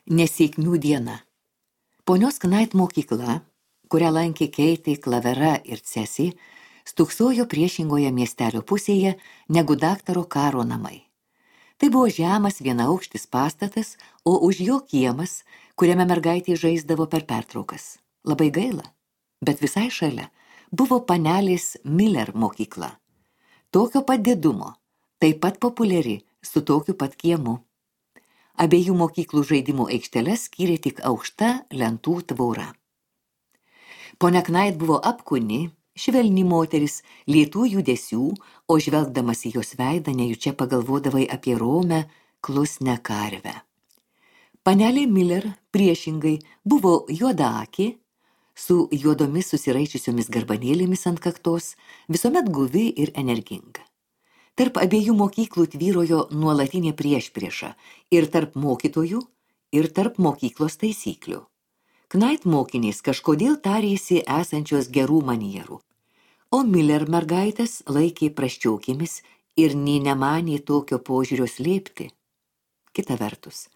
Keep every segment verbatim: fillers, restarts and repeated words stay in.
Nesėkmių diena. Ponios Knait mokykla, kurią lankė Keitė, Klavera ir Cesi, stūksojo priešingoje miestelio pusėje negu daktaro Karo namai. Tai buvo žemas vienaaukštis pastatas, o už jo kiemas, kuriame mergaitė žaisdavo per pertraukas. Labai gaila, bet visai šalia buvo panelės Miller mokykla. Tokio pat didumo, taip pat populiari, su tokiu pat kiemu. Abiejų mokyklų žaidimų aikšteles skyrė tik aukšta lentų tvora. Ponia Knait buvo apkūni, švelni moteris, lėtų judesių, o žvelgdamas į jos veidą nejučia pagalvodavai apie romę, klusnę karvę. Panelė Miller priešingai buvo juodaakė, su juodomis susiraičiusiomis garbanėlėmis ant kaktos, visuomet guvi ir energinga. Tarp abiejų mokyklų tvyrojo nuolatinė priešprieša ir tarp mokytojų, ir tarp mokyklos taisyklių. Knait mokinės kažkodėl tarėsi esančios gerų manierų, o Miller mergaitės laikė prasčiokėmis ir nė nemanė tokio požiūrio slėpti. Kita vertus,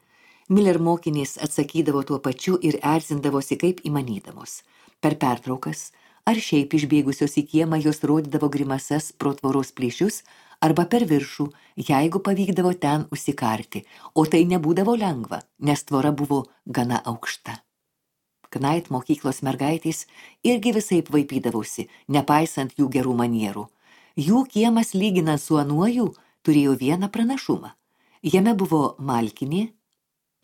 Miller mokinės atsakydavo tuo pačiu ir erzindavosi kaip įmanydamos. Per pertraukas ar šiaip išbėgusios į kiemą jos rodydavo grimasas pro tvoros plyšius arba per viršų, jeigu pavykdavo ten užsikarti, o tai nebūdavo lengva, nes tvora buvo gana aukšta. Knait mokyklos mergaitės irgi visaip vaipydavosi, nepaisant jų gerų manierų. Jų kiemas lyginant su anuoju turėjo vieną pranašumą. Jame buvo malkinė,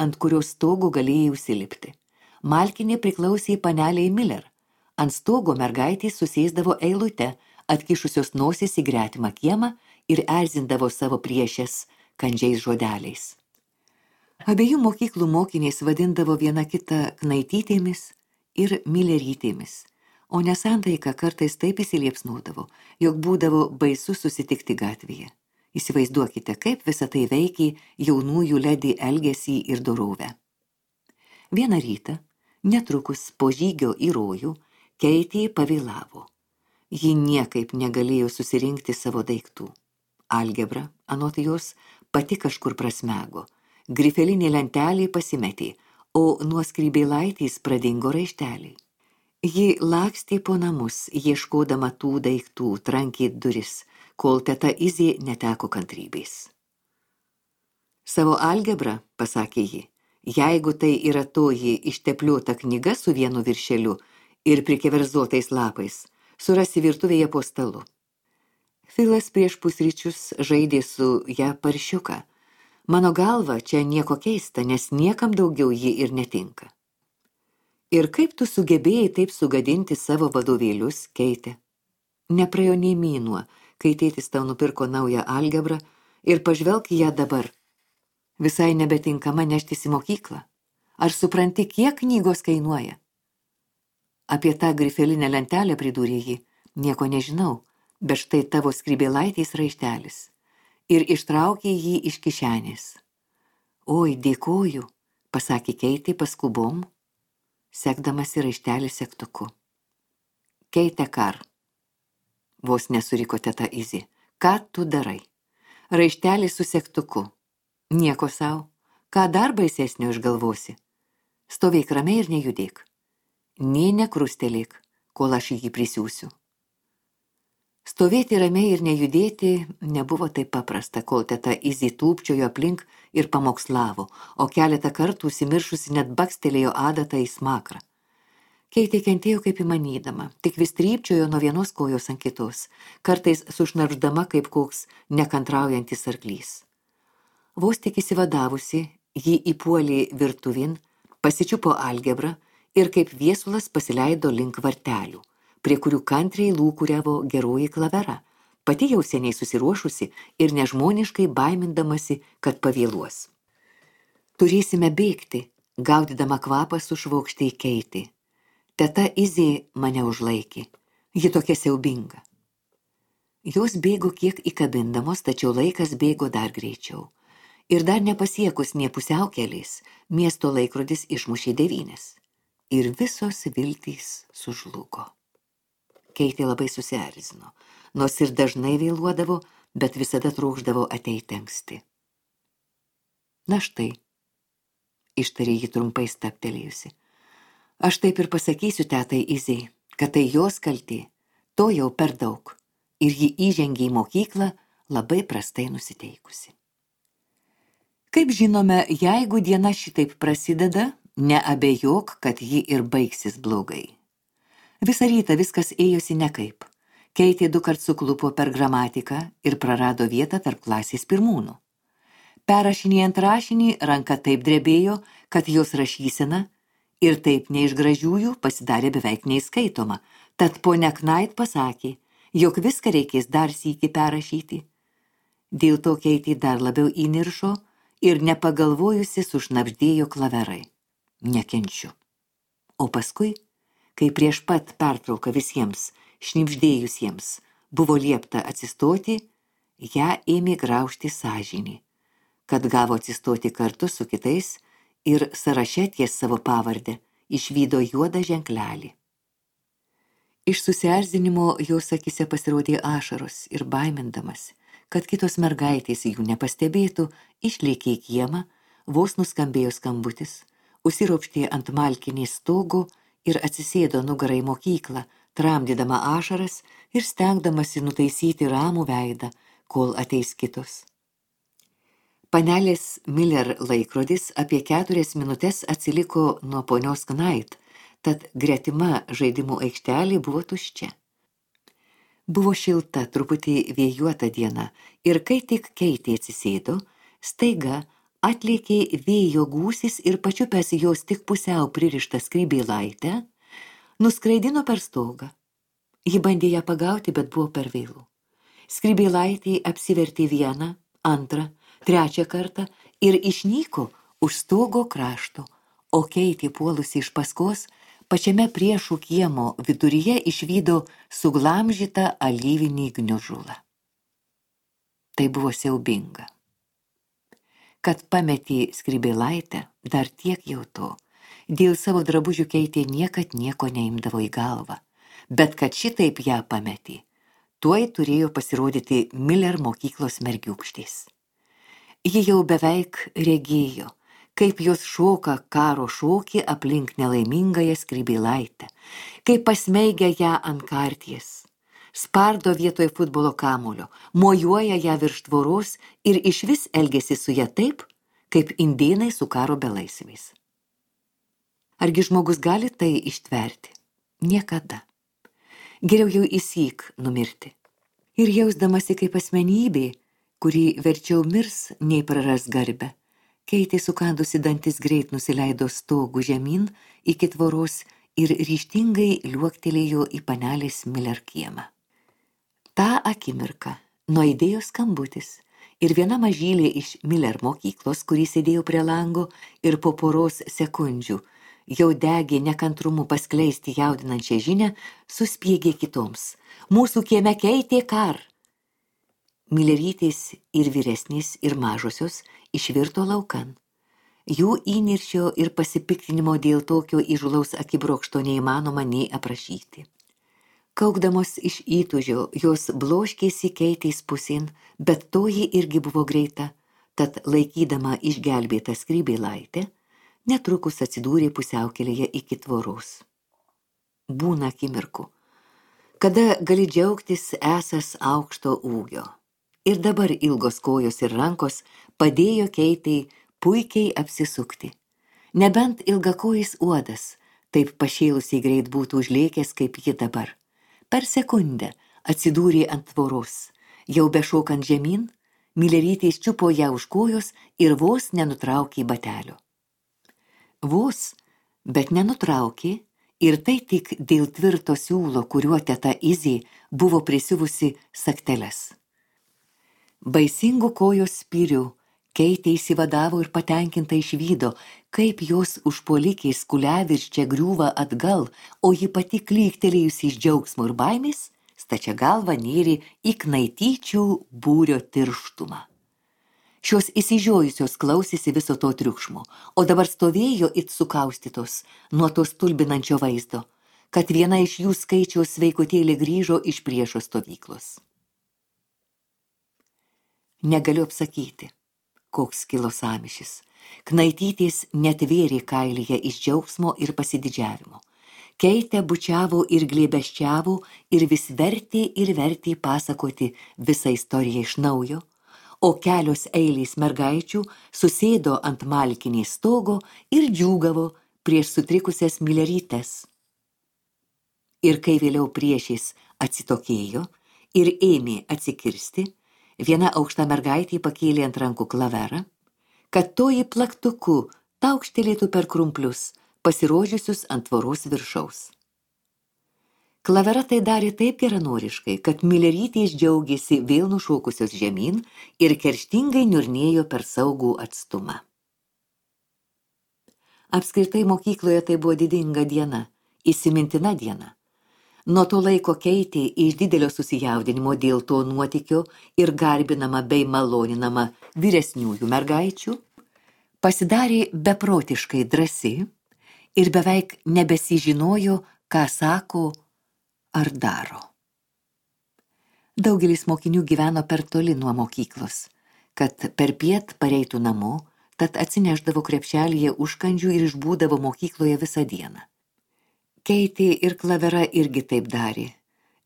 ant kurios stogo galėjai užsilipti. Malkinė priklausė paneliai Miller. Ant stogo mergaitės susėsdavo eilute, atkišusios nosis į gretimą kiemą ir erzindavo savo priešės kandžiais žodeliais. Abiejų mokyklų mokinės vadindavo viena kitą Knaitytėmis ir Millerytėmis, o nesantaika kartais taip įsiliepsnodavo, jog būdavo baisu susitikti gatvėje. Įsivaizduokite, kaip visa tai veikė jaunųjų ledi elgesį ir dorovę. Vieną rytą, netrukus po žygio į rojų, Keitė pavėlavo. Ji niekaip negalėjo susirinkti savo daiktų. Algebra, anot jos, pati kažkur prasmego. Grifelinė lentelė pasimetė, o nuo skrybėlaitės pradingo raišteliai. Ji lakstė po namus, ieškodama tų daiktų, trankė duris, kol teta Izė neteko kantrybės. Savo algebrą, pasakė ji, jeigu tai yra toji ištepliota knyga su vienu viršeliu ir prikeverzotais lapais, surasi virtuvėje po stalu. Filas prieš pusryčius žaidė su ją paršiuką. Mano galva, čia nieko keista, nes niekam daugiau ji ir netinka. Ir kaip tu sugebėjai taip sugadinti savo vadovėlius, Keitė? Nepraėjo nei mėnuo, kai tėtis tau nupirko naują algebrą ir pažvelk ją dabar. Visai nebetinkama neštis į mokyklą. Ar supranti, kiek knygos kainuoja? Apie tą grifelinę lentelę pridūrė ji, nieko nežinau, bet štai tavo skrybėlaitės raištelis. Ir ištraukė jį iš kišenės. Oi, dėkoju, pasakė Keitė paskubom, sekdamasi raištelį segtuku. Keitė Kar, vos nesuriko teta Izė, ką tu darai? Raištelį su segtuku. Nieko sau, ką dar baisesnio išgalvosi? Stovėk ramiai ir nejudėk. Nė nekrustelėk, kol aš jį prisiūsiu. Stovėti ramiai ir nejudėti nebuvo taip paprasta, kol teta Izė tūpčiojo aplink ir pamokslavo, o keletą kartų užsimiršusi net bakstelėjo adatą į smakrą. Keitė kentėjo kaip įmanydama, tik vis trypčiojo nuo vienos kojos ant kitos, kartais sušnarpždama kaip koks nekantraujantis arklys. Vos tik įsivadavusi, ji įpuolė virtuvin, pasičiupo algebrą ir kaip viesulas pasileido link vartelių, prie kurių kantriai lūkuriavo geroji Klavera, pati jau seniai susiruošusi ir nežmoniškai baimindamasi, kad pavėluos. Turėsime bėgti, gaudydama kvapą sušvokštė Keitė. Teta Izė mane užlaikė, ji tokia siaubinga. Jos bėgo kiek įkabindamos, tačiau laikas bėgo dar greičiau. Ir dar nepasiekus nė pusiaukelės, miesto laikrodis išmušė devynias. Ir visos viltys sužlugo. Keitė labai susierzino, nors ir dažnai vėluodavo, bet visada trokšdavo ateiti anksti. Na štai, ištarė ji trumpai stabtelėjusi. Aš taip ir pasakysiu tetai Izei, kad tai jos kaltė, to jau per daug. Ir ji įžengė į mokyklą labai prastai nusiteikusi. Kaip žinome, jeigu diena šitaip prasideda, neabejok, kad ji ir baigsis blogai. Visą rytą viskas ėjosi nekaip. Keitė du kart suklupo per gramatiką ir prarado vietą tarp klasės pirmūnų. Perrašinėjant rašinį, ranka taip drebėjo, kad jos rašysena ir taip ne iš gražiųjų pasidarė beveik neįskaitoma. Tad ponia Knait pasakė, jog viską reikės dar sykį perrašyti. Dėl to Keitė dar labiau įniršo ir nepagalvojusi sušnabždėjo klaverai. Nekenčiu. O paskui, kai prieš pat pertrauką visiems, šnibždėjusiems, buvo liepta atsistoti, ją ėmė graužti sąžinį, kad gavo atsistoti kartu su kitais ir sąraše ties savo pavardę išvydo juodą ženklelį. Iš susierzinimo jos akise pasirodė ašaros ir baimindamas, kad kitos mergaitės jų nepastebėtų, išlėkė į kiemą, vos nuskambėjo skambutis, užsiropštė ant malkinės stogo ir atsisėdo nugarą į mokyklą, tramdydama ašaras ir stengdamasi nutaisyti ramų veidą, kol ateis kitos. Panelės Miller laikrodis apie keturias minutes atsiliko nuo ponios Knait, tad gretima žaidimų aikštelė buvo tuščia. Buvo šilta, truputį vėjuota diena ir kai tik Keitė atsisėdo, staiga atlėkė vėjo gūsis ir pačiupęs jos tik pusiau pririštą skrybėlaitę, nuskraidino per stogą. Ji bandė ją pagauti, bet buvo per vėlu. Skrybėlaitė apsivertė vieną, antrą, trečią kartą ir išnyko už stogo krašto, o Keitė puolusi iš paskos, pačiame priešų kiemo viduryje išvydo suglamžytą alyvinį gniužulą. Tai buvo siaubinga. Kad pametė skrybėlaitę, dar tiek jau to. Dėl savo drabužių Keitė niekad nieko neimdavo į galvą, bet kad šitaip ją pametė, tuoj turėjo pasirodyti Miller mokyklos mergiūkštės. Ji jau beveik regėjo, kaip jos šoka karo šokį aplink nelaimingąją skrybėlaitę, kaip pasmeigia ją ant karties, spardo vietoj futbolo kamulio, mojuoja ją virš tvoros ir išvis elgiasi su ją taip, kaip indėnai su karo belaisviais. Argi žmogus gali tai ištverti? Niekada. Geriau jau įsyk numirti. Ir jausdamasi kaip asmenybė, kuri verčiau mirs, nei praras garbę, Keitė sukandusi dantis greit nusileido stogų žemyn iki tvoros ir ryžtingai liuoktelėjo į panelės Miller kiemą. Ta akimirką nuaidėjo skambutis ir viena mažylė iš Miller mokyklos, kuri sėdėjo prie lango ir po poros sekundžių jau degė nekantrumu paskleisti jaudinančią žinią, suspiegė kitoms. Mūsų kieme Keitė kar. Millerytės ir vyresnės ir mažosios išvirto laukan. Jų įniršio ir pasipiktinimo dėl tokio įžulaus akibrokšto neįmanoma nei aprašyti. Kaukdamos iš įtūžio, jos bloškėsi Keitės pusėn, bet toji irgi buvo greita, tad laikydama išgelbėtą skrybėlaitę, netrukus atsidūrė pusiaukelėje iki tvoros. Būna akimirkų, kada gali džiaugtis esas aukšto ūgio. Ir dabar ilgos kojos ir rankos padėjo Keitei puikiai apsisukti. Nebent ilgakojis uodas, taip pašėlusiai greit būtų užlėkęs kaip ji dabar. Per sekundę atsidūrė ant tvoros. Jau bešokant žemyn, Millerytės čiupo ją už kojos ir vos nenutraukė batelio. Vos, bet nenutraukė, ir tai tik dėl tvirto siūlo, kuriuo teta Izė buvo prisiuvusi sagteles. Baisingų kojos spyrių Keitė įsivadavo ir patenkinta išvydo, kaip jos užpuolikiai skuliavirščia griūva atgal, o ji pati klyktelėjusi iš džiaugsmo ir baimės, stačia galva nėrė į knaityčių būrio tirštumą. Šios įsižiojusios klausėsi viso to triukšmo, o dabar stovėjo it sukaustytos nuo to stulbinančio vaizdo, kad viena iš jų skaičiaus sveikutėlė grįžo iš priešo stovyklos. Negaliu apsakyti, koks kilo sąmyšis, Knaitytės netvėrė kailyje iš džiaugsmo ir pasididžiavimo. Keitė bučiavo ir glėbesčiavo ir vis vertė ir vertė pasakoti visą istoriją iš naujo, o kelios eilės mergaičių susėdo ant malkinės stogo ir džiūgavo prieš sutrikusias Milerytes. Ir kai vėliau priešais atsitokėjo ir ėmė atsikirsti, viena aukšta mergaitė pakėlė ant rankų klaverą, kad toji plaktuku taukštelėtų per krumplius, pasirodžiusius ant tvoros viršaus. Klavera tai darė taip geranoriškai, kad Milerytės džiaugėsi vėl nušokusios žemyn ir kerštingai niurnėjo per saugų atstumą. Apskritai mokykloje tai buvo didinga diena, įsimintina diena. Nuo to laiko Keitė iš didelio susijaudinimo dėl to nuotykio ir garbinama bei maloninama vyresniųjų mergaičių, pasidarė beprotiškai drąsi ir beveik nebesižinojo, ką sako ar daro. Daugelis mokinių gyveno per toli nuo mokyklos, kad per piet pareitų namo, tad atsineždavo krepšelyje užkandžių ir išbūdavo mokykloje visą dieną. Keitė ir Klavera irgi taip darė.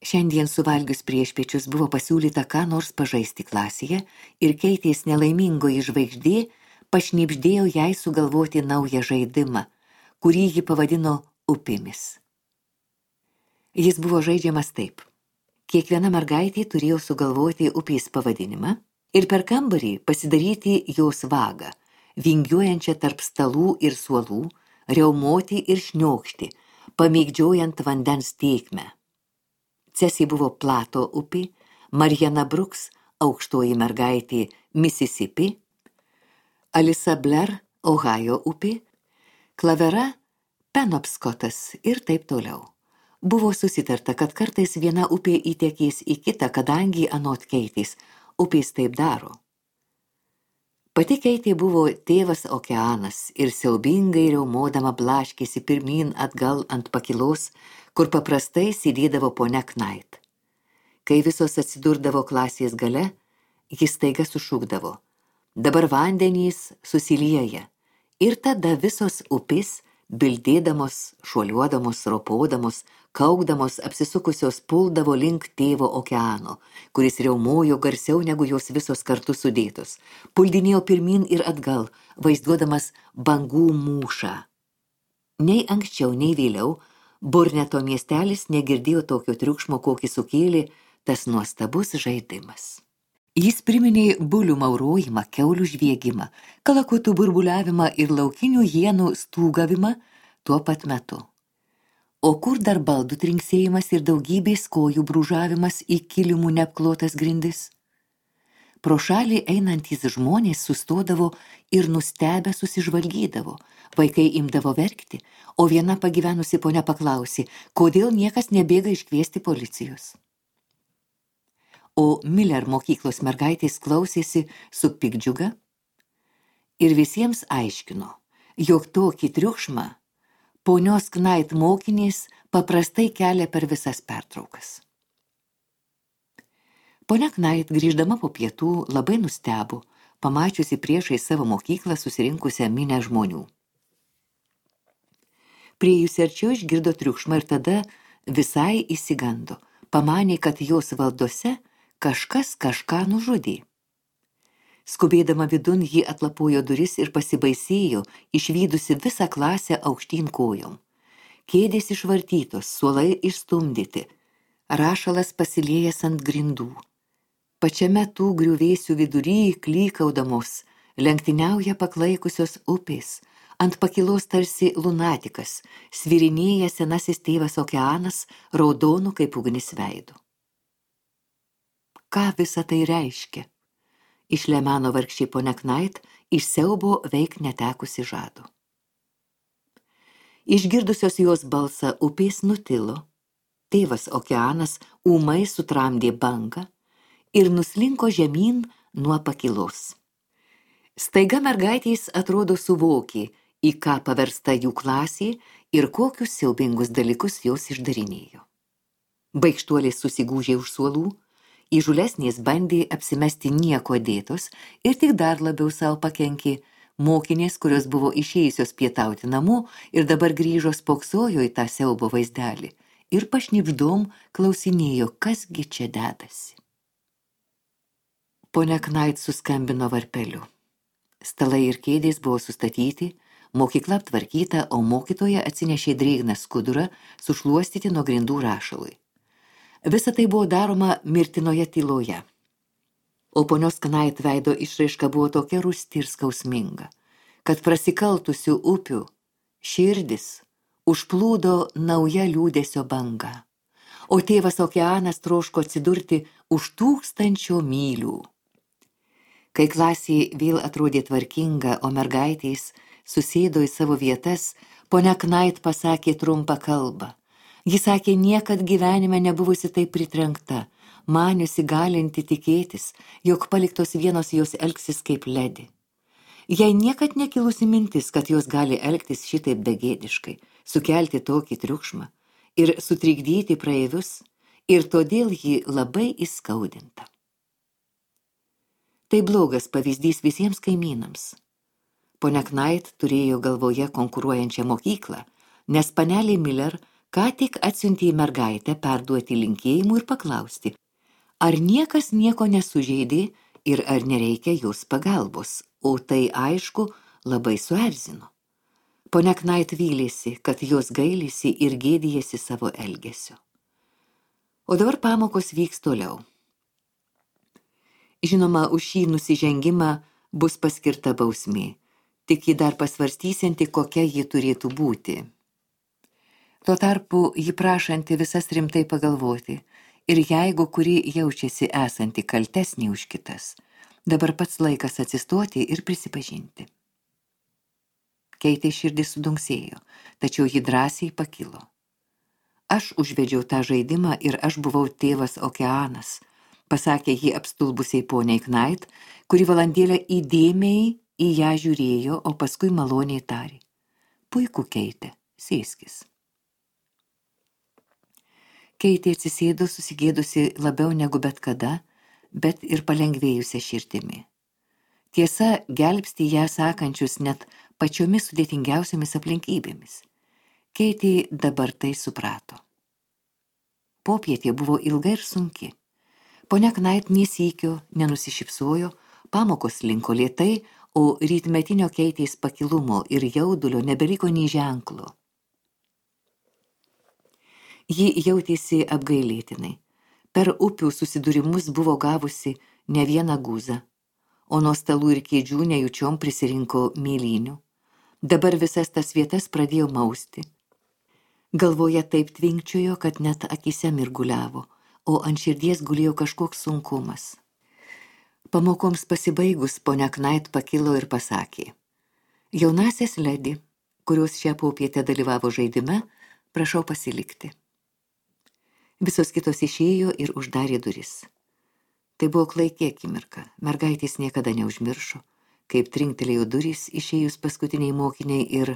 Šiandien suvalgius priešpiečius buvo pasiūlyta ką nors pažaisti klasėje ir Keitės nelaimingoji žvaigždė pašnibždėjo jai sugalvoti naują žaidimą, kurį ji pavadino upėmis. Jis buvo žaidžiamas taip. Kiekviena mergaitė turėjo sugalvoti upės pavadinimą ir per kambarį pasidaryti jos vagą, vingiuojančią tarp stalų ir suolų, riaumoti ir šniokšti, pamėgdžiojant vandens tėkmę. Cesi buvo Plato upė, Mariana Bruks aukštoji mergaitė Mississippi, Alisa Blair Ohajo upė, Klavera Penobskotas ir taip toliau. Buvo susitarta, kad kartais viena upė įtekės į kitą, kadangi anot Keitės upės taip daro. Pati Keitė buvo tėvas okeanas ir siaubingai riaumodama blaškėsi pirmyn atgal ant pakilos, kur paprastai sėdėdavo ponia Knight. Kai visos atsidurdavo klasės gale, jis staiga sušūkdavo: dabar vandenys susilieja, ir tada visos upės, bildėdamos, šuoliuodamos, ropodamos, kaukdamos, apsisukusios puldavo link tėvo okeano, kuris riaumojo garsiau negu jos visos kartu sudėtos, puldinėjo pirmyn ir atgal, vaizduodamas bangų mūšą. Nei anksčiau, nei vėliau, Burneto miestelis negirdėjo tokio triukšmo, kokį sukėlė tas nuostabus žaidimas. Jis priminė bulių maurojimą, kiaulių žviegimą, kalakutų burbuliavimą ir laukinių hienų stūgavimą tuo pat metu. O kur dar baldų trinksėjimas ir daugybės kojų brūžavimas į kilimų neapklotas grindis? Pro šalį einantys žmonės sustodavo ir nustebę susižvalgydavo, vaikai imdavo verkti, o viena pagyvenusi ponia paklausė, kodėl niekas nebėga iškviesti policijos. O Miller mokyklos mergaitės klausėsi su piktdžiuga ir visiems aiškino, jog tokį triukšmą ponios Knight mokinės paprastai kelia per visas pertraukas. Ponia Knight, grįždama po pietų, labai nustebo, pamačiusi priešai savo mokyklą susirinkusią minią žmonių. Priėjusi arčiau išgirdo triukšmą ir tada visai įsigando, pamanė, kad jos valdose kažkas kažką nužudė. Skubėdama vidun, ji atlapojo duris ir pasibaisėjo, išvydusi visą klasę aukštyn kojom. Kėdės išvartytos, suolai išstumdyti, rašalas pasiliejęs ant grindų. Pačiame tų griuvėsių vidury, klykaudamos, lenktyniauja paklaikusios upės, ant pakilos tarsi lunatikas, svirinėja senasis tėvas okeanas, raudonu kaip ugnis veidu. Ką visa tai reiškia? Išlemeno vargšė ponia Knight, iš siaubo veik netekusi žado. Išgirdusios jos balsą upės nutilo, tėvas okeanas ūmai sutramdė bangą ir nuslinko žemyn nuo pakilos. Staiga mergaitės atrodo suvokė, į ką paversta jų klasė ir kokius siaubingus dalykus jos išdarinėjo. Baikštuolės susigūžė už suolų, įžūlesnės bandė apsimesti nieko dėtos ir tik dar labiau savo pakenkė, Mokinės, kurios buvo išėjusios pietauti namo ir dabar grįžo spoksojo į tą siaubo vaizdelį ir pašnibždom klausinėjo, kasgi čia dedasi. Ponia Knait suskambino varpeliu. Stalai ir kėdės buvo sustatyti, mokykla aptvarkyta, o mokytoja atsinešė drėgną skudurą sušluostyti nuo grindų rašalui. Visa tai buvo daroma mirtinoje tyloje. O ponios Knait veido išraiška buvo tokia rūsti ir skausminga, kad prasikaltusių upių širdis užplūdo nauja liūdesio banga, o tėvas okeanas troško atsidurti už tūkstančio mylių. Kai klasė vėl atrodė tvarkinga, o mergaitės susėdo į savo vietas, ponia Knait pasakė trumpą kalbą. Ji sakė, niekad gyvenime nebuvusi taip pritrenkta, maniusi galinti tikėtis, jog paliktos vienos jos elgsis kaip ledi. Jai niekad nekilusi mintis, kad jos gali elgtis šitaip begėdiškai, sukelti tokį triukšmą ir sutrikdyti praeivius, ir todėl ji labai įskaudinta. Tai blogas pavyzdys visiems kaimynams. Ponia Knait turėjo galvoje konkuruojančią mokyklą, nes panelė Miller ką tik atsiuntė į mergaitę perduoti linkėjimų ir paklausti, ar niekas nieko nesužeidė ir ar nereikia jos pagalbos, o tai aišku labai suerzino. Ponia Knait vylėsi, kad jos gailisi ir gėdijasi savo elgesio. O dabar pamokos vyks toliau. Žinoma, už šį nusižengimą bus paskirta bausmė, tik ji dar pasvarstysianti, kokia ji turėtų būti. Tuo tarpu ji prašanti visas rimtai pagalvoti, ir jeigu kuri jaučiasi esanti kaltesnė už kitas, dabar pats laikas atsistoti ir prisipažinti. Keitė širdis sudunksėjo, tačiau ji drąsiai pakilo. Aš užvedžiau tą žaidimą ir aš buvau tėvas okeanas, pasakė ji apstulbusiai poniai Knait, kuri valandėlę įdėmiai į ją žiūrėjo, o paskui maloniai tarė. Puiku, Keitė, sėskis. Keitė atsisėdo susigėdusi labiau negu bet kada, bet ir palengvėjusią širdimi. Tiesa, gelbsti ją sakančius net pačiomis sudėtingiausiomis aplinkybėmis. Keitė dabar tai suprato. Popietė buvo ilga ir sunki. Ponia Knait nesykio nenusišypsojo, pamokos linko lėtai, o rytmetinio Keitės pakilumo ir jaudulio nebeliko nei ženklo. Ji jautėsi apgailėtinai. Per upių susidūrimus buvo gavusi ne vieną guzą, o nuo stalų ir kėdžių nejučiom prisirinko mėlynių. Dabar visas tas vietas pradėjo mausti. Galvoje taip tvinkčiojo, kad net akise mirguliavo, o ant širdies gulėjo kažkoks sunkumas. Pamokoms pasibaigus, ponia Knait pakilo ir pasakė. Jaunasias ledi, kurios šią popietę dalyvavo žaidime, prašau pasilikti. Visos kitos išėjo ir uždarė duris. Tai buvo klaiki akimirka, mergaitės niekada neužmiršo, kaip trinktelėjo durys išėjus paskutiniai mokiniai ir,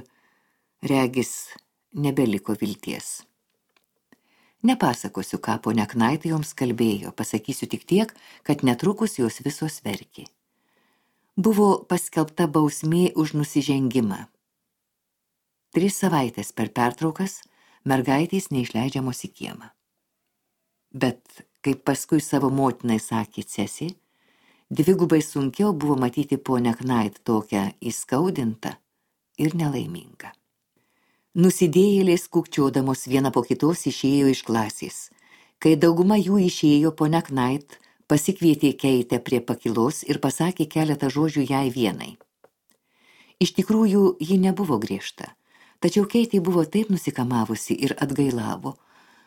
regis, nebeliko vilties. Nepasakosiu, ką ponia Knait joms kalbėjo, pasakysiu tik tiek, kad netrukus jos visos verkė. Buvo paskelbta bausmė už nusižengimą. Tris savaitės per pertraukas mergaitės neišleidžiamos į kiemą. Bet, kaip paskui savo motinai sakė Cesi, dvigubai sunkiau buvo matyti ponia Knait tokią įskaudintą ir nelaimingą. Nusidėjėlės kukčiodamos viena po kitos išėjo iš klasės. Kai dauguma jų išėjo, ponia Knait pasikvietė Keitę prie pakilos ir pasakė keletą žodžių jai vienai. Iš tikrųjų, ji nebuvo griežta, tačiau Keitė buvo taip nusikamavusi ir atgailavo,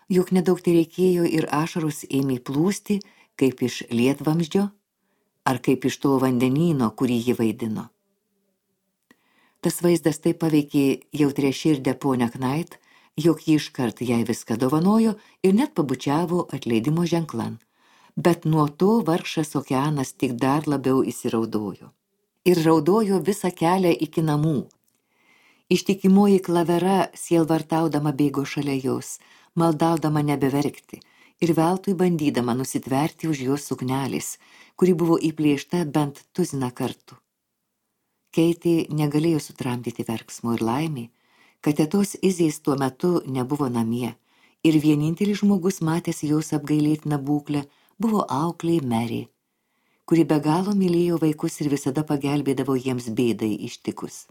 jog nedaug tai reikėjo ir ašaros ėmė plūsti, kaip iš lietvamzdžio ar kaip iš to vandenyno, kurį ji vaidino. Tas vaizdas taip paveikė jautrią širdę ponę Knait, jog ji iškart jai viską dovanojo ir net pabučiavo atleidimo ženklan. Bet nuo to vargšas okeanas tik dar labiau įsiraudojo. Ir raudojo visą kelią iki namų. Ištikimoji Klavera sielvartaudama bėgo šalia jos, maldaudama nebeverkti ir veltui bandydama nusitverti už jos suknelis, kuri buvo įplėšta bent tuziną kartų. Keitė negalėjo sutramdyti verksmo ir laimė, kad tetos Izės tuo metu nebuvo namie ir vienintelis žmogus matęs jos apgailėtiną būklę buvo auklė Mary, kuri be galo mylėjo vaikus ir visada pagelbėdavo jiems bėdai ištikus.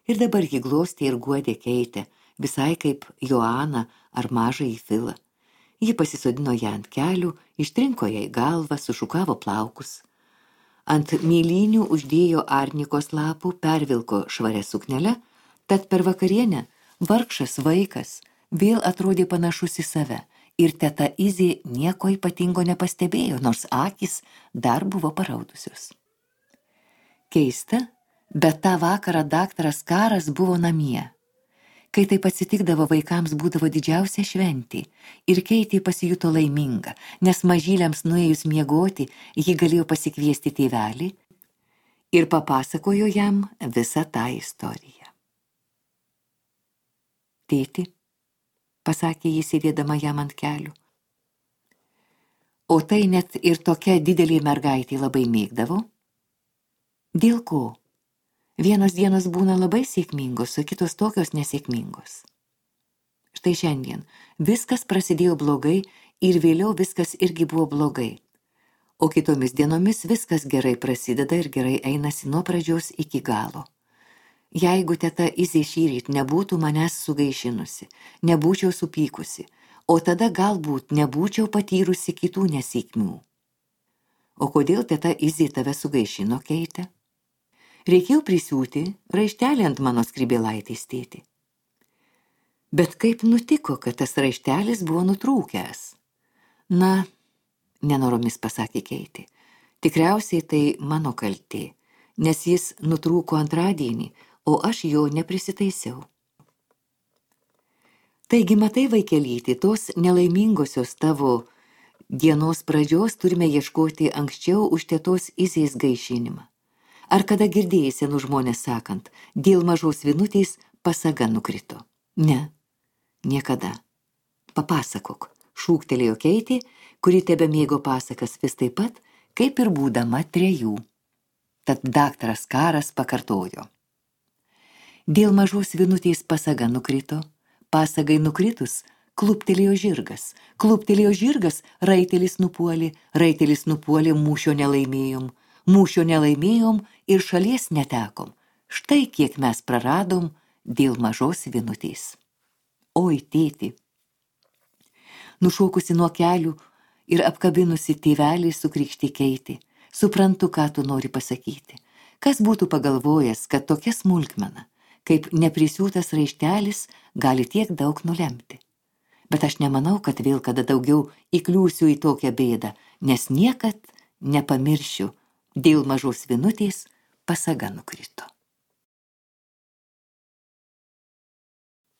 Ir dabar ji glostė ir guodė Keitę, visai kaip Joaną ar mažąjį Filą. Ji pasisodino ją ant kelių, ištrinko jai galvą, sušukavo plaukus. Ant mėlynių uždėjo arnikos lapų, pervilko švarę suknelę, tad per vakarienę vargšas vaikas vėl atrodė panašus į save ir teta Izė nieko ypatingo nepastebėjo, nors akys dar buvo paraudusios. Keista, bet tą vakarą daktaras Karas buvo namie. Kai taip atsitikdavo, vaikams būdavo didžiausia šventė ir Keitė pasijuto laiminga, nes mažyliams nuėjus miegoti, ji galėjo pasikviesti tėvelį ir papasakojo jam visą tą istoriją. Tėti, pasakė jis sėdėdama jam ant kelių, o tai net ir tokia didelė mergaitė labai mėgdavo? Dėl ko? Vienos dienos būna labai sėkmingos, o kitos tokios nesėkmingos. Štai šiandien viskas prasidėjo blogai ir vėliau viskas irgi buvo blogai. O kitomis dienomis viskas gerai prasideda ir gerai einasi nuo pradžios iki galo. Jeigu teta Izė šįryt nebūtų manęs sugaišinusi, nebūčiau supykusi, o tada galbūt nebūčiau patyrusi kitų nesėkmių. O kodėl teta Izė tave sugaišino, Keite? Reikėjo prisiūti raištelį ant mano skrybėlaitės, tėti. Bet kaip nutiko, kad tas raištelis buvo nutrūkęs? Na, nenoromis pasakė Keitė, tikriausiai tai mano kaltė, nes jis nutrūko antradienį, o aš jo neprisitaisiau. Taigi, matai, vaikelytė, tos nelaimingosios tavo dienos pradžios turime ieškoti anksčiau už tetos Izės gaišinimą. Ar kada girdėjai senų žmonės sakant, dėl mažos vinutės pasaga nukrito? Ne, niekada. Papasakok, šūktelėjo Keitė, kuri tebe mėgo pasakas vis taip pat, kaip ir būdama trejų. Tad daktaras Karas pakartojo. Dėl mažos vinutės pasaga nukrito, pasagai nukritus, kluptelėjo žirgas, kluptelėjo žirgas, raitelis nupuolė, raitelis nupuolė, mūšio nelaimėjom, mūšio nelaimėjom ir šalies netekom. Štai kiek mes praradom dėl mažos vinutės. Oi, tėti. Nušokusi nuo kelių ir apkabinusi tėvelį sukrikštė Keitė. Suprantu, ką tu nori pasakyti. Kas būtų pagalvojęs, kad tokia smulkmena, kaip neprisiūtas raištelis, gali tiek daug nulemti. Bet aš nemanau, kad vėl kada daugiau įkliūsiu į tokią bėdą, nes niekad nepamiršiu, dėl mažos vinutės pasaga nukrito.